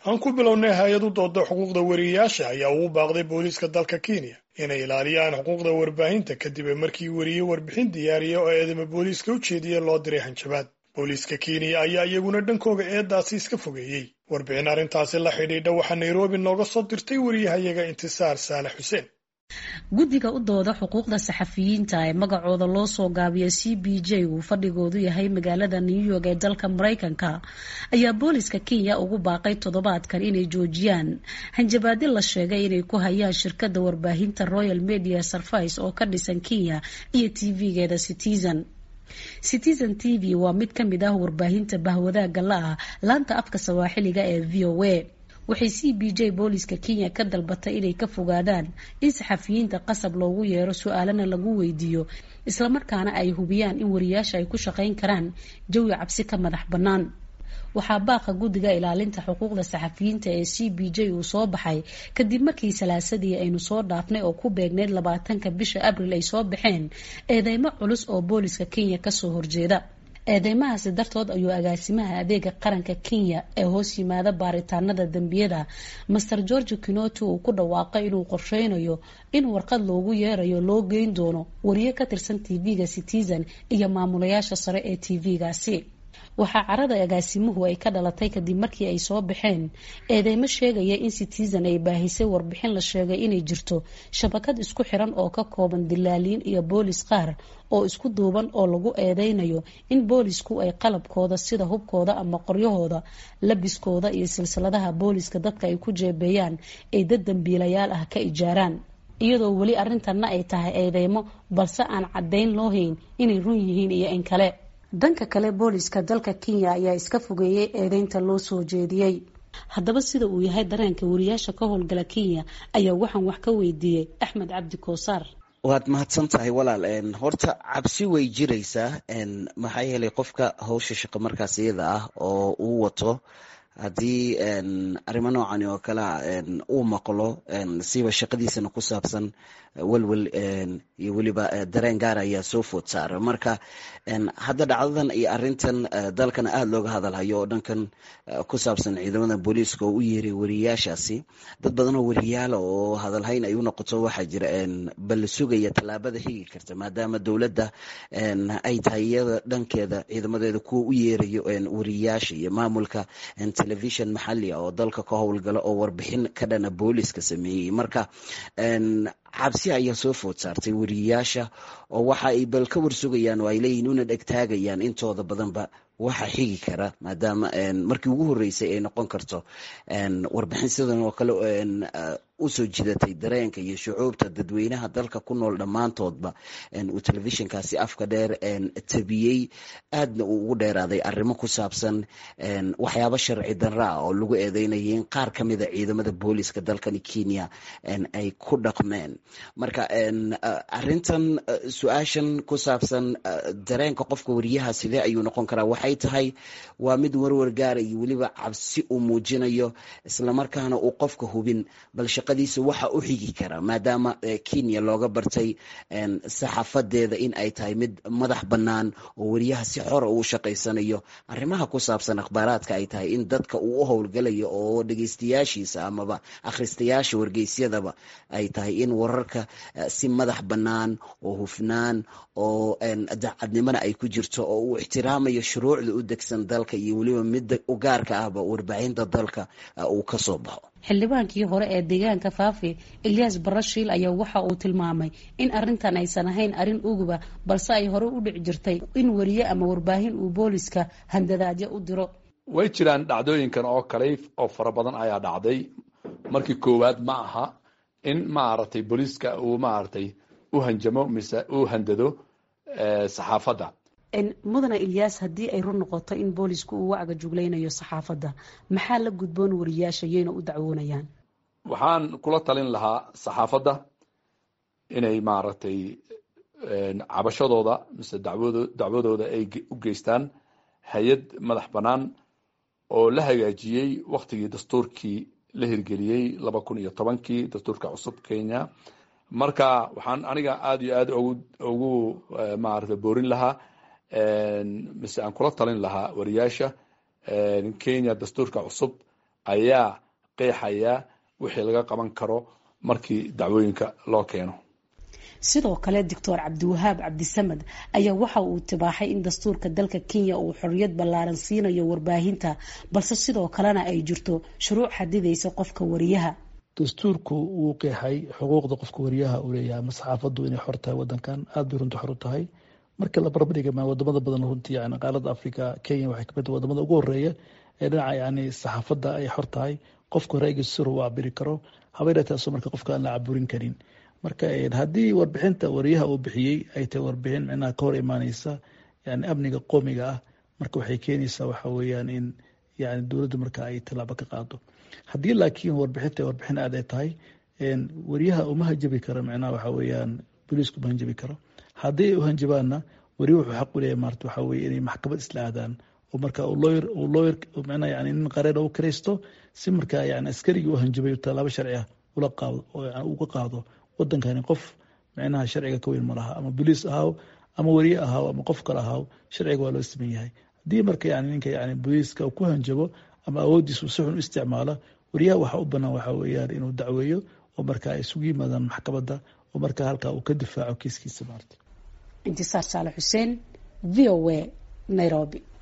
Aan ku bilownay, hay-ad u dooda xuquuqda weriyayaasha ayaa ugu baaqday booliiska dalka Kenya inay ilaaliyaan xuquuqda warbaahinta, kadib markii weriye warbixin diyaariya oo eedama booliiska u jeediya loo diray hanjabaad. Booliiska Kenya ayaa iyaguna dhankooga eedaasi iska fogeeyey. Warbixin arrintaasi la xidhiidha waxaa Nairobi nooga soo dirtay wariyahayaga Intisaar Saalax Xuseen. Guddiga u dooda xuquuqda saxafiyiinta ee magacooda loo soo gaabiyo CPJ, uu fadhigoodu yahay magaalada New York ee dalka Maraykanka, ayaa booliska Kenya ugu baaqay toddobaadkan inay joojiyaan hanjabaadi la sheegay inay ku hayaan shirkadda warbaahinta Royal Media Service oo ka dhisan Kenya iyo TV-geeda Citizen. Citizen TV waa mid ka mid ah warbaahinta bahwadaaga la ah laanta afka Sawaaxiliga ee VOA. Waxay CPJ booliska Kenya ka dalbatay inay ka fogaadaan in saxafiyiinta qasab loogu yeero, su-aalana lagu weydiiyo, islamarkaana ay hubiyaan in wariyaasha ay ku shaqayn karaan jawi cabsi ka madax bannaan. Waxaa baaqa guddiga ilaalinta xuquuqda saxafiyiinta ee CPJ uu soo baxay kadib markii Salaasadii aynu soo dhaafnay oo ku beegneyd 20-ka bisha Abril ay soo baxeen eedeymo culus oo booliska Kenya kasoo horjeeda. Eedeymahaasi dartood ayuu agaasimaha adeega qaranka Kenya ee hoos yimaada baaritaanada dembiyada, Master George Kinoti, uu ku dhawaaqay inuu qorsheynayo in warqad loogu yeerayo loo geyn doono wariye ka tirsan TV-ga Citizen iyo maamulayaasha sare ee TV-gaasi. Waxaa carada agaasimuhu ay ka dhalatay kadib markii ay soo baxeen eedeymo sheegaya in Citizen ay baahisay warbixin la sheegay inay jirto shabakad isku xiran oo ka kooban dilaaliin iyo boolis qaar oo isku duuban, oo lagu eedeynayo in boolisku ay qalabkooda sida hubkooda ama qoryahooda, labiskooda iyo silsiladaha booliska dadka ay ku jeebeeyaan ay dad dambiilayaal ah ka ijaaraan, iyadoo weli arrintanna ay tahay eedeymo, balse aan caddayn loo hayn inay run yihiin iyo in kale. Dhanka kale, booliska dalka Kenya ayaa iska fogeeyey eedeynta loo soo jeediyey. Haddaba, sida uu yahay dareenka wariyaasha ka howlgala Kenya ayaa waxaan wax ka weydiiyey Axmed Cabdi Koosaar. Waad mahadsan tahay, walaal. Horta cabsi way jiraysaa, maxaa yeelay qofka hawsha shaqo markaas iyada ah oo uu wato, haddii arrimo noocani oo kalea uu maqlo, siba shaqadiisana ku saabsan, welwel iyo weliba dareen gaar ayaa soo food saara. Marka hadda dhacdadan iyo arrintan dalkana aada looga hadalhayo oo dhankan ku saabsan ciidamada booliiska oo u yeeray wariyaashaasi, dad badan oo wariyaala oo hadalhayn ay u noqoto waxaa jira bal sugaya tallaabada xigi karta, maadaama dowladda ay tahay iyada dhankeeda ciidamadeeda kuwa u yeerayo wariyaasha iyo maamulka telefishon maxali ah oo dalka ka howlgala oo warbixin ka dhana booliiska sameeyey. Marka cabsi ayaa soo food saartay wariyaasha, oo waxa ay bal ka warsugayaan oo ay leeyihin una dhegtaagayaan intooda badanba waxa xigi kara, maadaama markii ugu horreysay ay noqon karto warbixin sidan oo kale usoo jidatay dareenka iyo shucuubta dadweynaha dalka ku nool dhammaantoodba uu telefishinkaasi afka dheer tabiyey, aadna uu ugu dheeraaday arrimo ku saabsan waxyaabo sharci darra ah oo lagu eedeynayay in qaar ka mida ciidamada booliiska dalkani Kenya ay ku dhaqmeen. Marka arrintan, su-aashan ku saabsan dareenka qofka wariyaha sidee ayuu noqon karaa, waxay tahay waa mid warwar gaara iyo weliba cabsi uu muujinayo, islamarkaana uu qofka hubin bal shaqadiisa waxa u xigi kara, maadaama Kenya looga bartay saxafadeeda in ay tahay mid madax bannaan oo wariyaha si xora uu shaqaysanayo, arrimaha ku saabsan akhbaaraadka ay tahay in dadka uu u howlgalayo oo dhegeystayaashiisa amaba akhristayaasha wargeysyadaba ay tahay in wararka si madax bannaan oo hufnaan oo daacadnimona ay ku jirto oo uu ixtiraamayo shuruucda u degsan dalka iyo weliba midda u gaarka ahba warbaahinta dalka uu ka soo baxo. Xildhibaankii hore ee deegaanka Faafi, Elyaas Barashiil, ayaa waxa uu tilmaamay in arrintan aysan ahayn arrin uguba, balse ay hore u dhici jirtay in wariye ama warbaahin uu booliska handadaadyo u diro. Way jiraan dhacdooyinkan oo kale oo fara badan ayaa dhacday. Markii koowaad ma aha in maaragtay booliiska uu maaragtay u hanjamo mise u handado saxaafadda. Mudane Ilyaas, haddii ay run noqoto in boolisku uu wacga jugleynayo saxaafadda, maxaa la gudboon wariyaasha, yayna u dacwoonayaan? Waxaan kula talin lahaa saxaafadda inay maaragtay cabashadooda mise dacwadooda ay u geystaan hay-ad madax bannaan oo la hagaajiyey waktigii dastuurkii la hirgeliyey 2010-kii, dastuurka cusub Kenya. Marka waxaan aniga aada iyo aada ugu maaragtay boorin lahaa mise aan kula talin lahaa wariyaasha Kenya, dastuurka cusub ayaa qeexayaa wixii laga qaban karo markii dacwooyinka loo keeno. Sidoo kale Doctor Cabdiwahaab Cabdisamad ayaa waxa uu tibaaxay in dastuurka dalka Kenya uu xorriyad ballaaran siinayo warbaahinta, balse sidoo kalena ay jirto shuruuc xadidaysa qofka wariyaha. Dastuurku wuu qeexay xuquuqda qofka wariyaha uu leeyahay ama saxaafaddu inay xor tahay. Wadankan aada bay runta xor u tahay marka la barbardhiga wadamada badan. Runtii yani qaaradda Africa, Kenya waxay kamid tahay wadamada ugu horeeya ee dhinaca yani saxaafadda ay xor tahay, qofka ra'yigiisa sir uu cabiri karo, habayna taasoo marka qofka aan la caburin karin. Marka haddii warbixinta wariyaha uu bixiyey ay tahay warbixin micnaha ka hor imaaneysa yani amniga qoomiga ah, marka waxay keenaysaa waxa weeyaan in yani dowladdu marka ay tallaabo ka qaado. Haddii laakiin warbixinta warbixin aad ay tahay, wariyaha uma hanjabi karo, micnaha waxa weeyaan booliisku uma hanjabi karo. Haddii ay u hanjabaanna, wariya wuxuu xaq u leeyahay maarta waxa weye inay maxkamad isla aadaan oo marka uu lawyer micnaha yani nin qareena u kiraysto, si markaa yani askarigii u hanjabay tallaabo sharci ah ula qaado oo yani uga qaado. Wadankani qof micnaha sharciga ka weyn ma laha, ama boliis ahaaw ama wariye ahaaw ama qof kale ahaaw, sharciga waa loo siman yahay. Haddii marka yani ninka yani booliiska ku hanjabo ama awooddiisu si xun u isticmaalo, wariyaha waxa u banaan waxa weeyaan inuu dacweeyo oo marka ay isugu yimaadaan maxkamadda oo marka halkaa uu ka difaaco kiiskiisa maarta. Intisaar Saale Xuseen, VOA, Nairobi.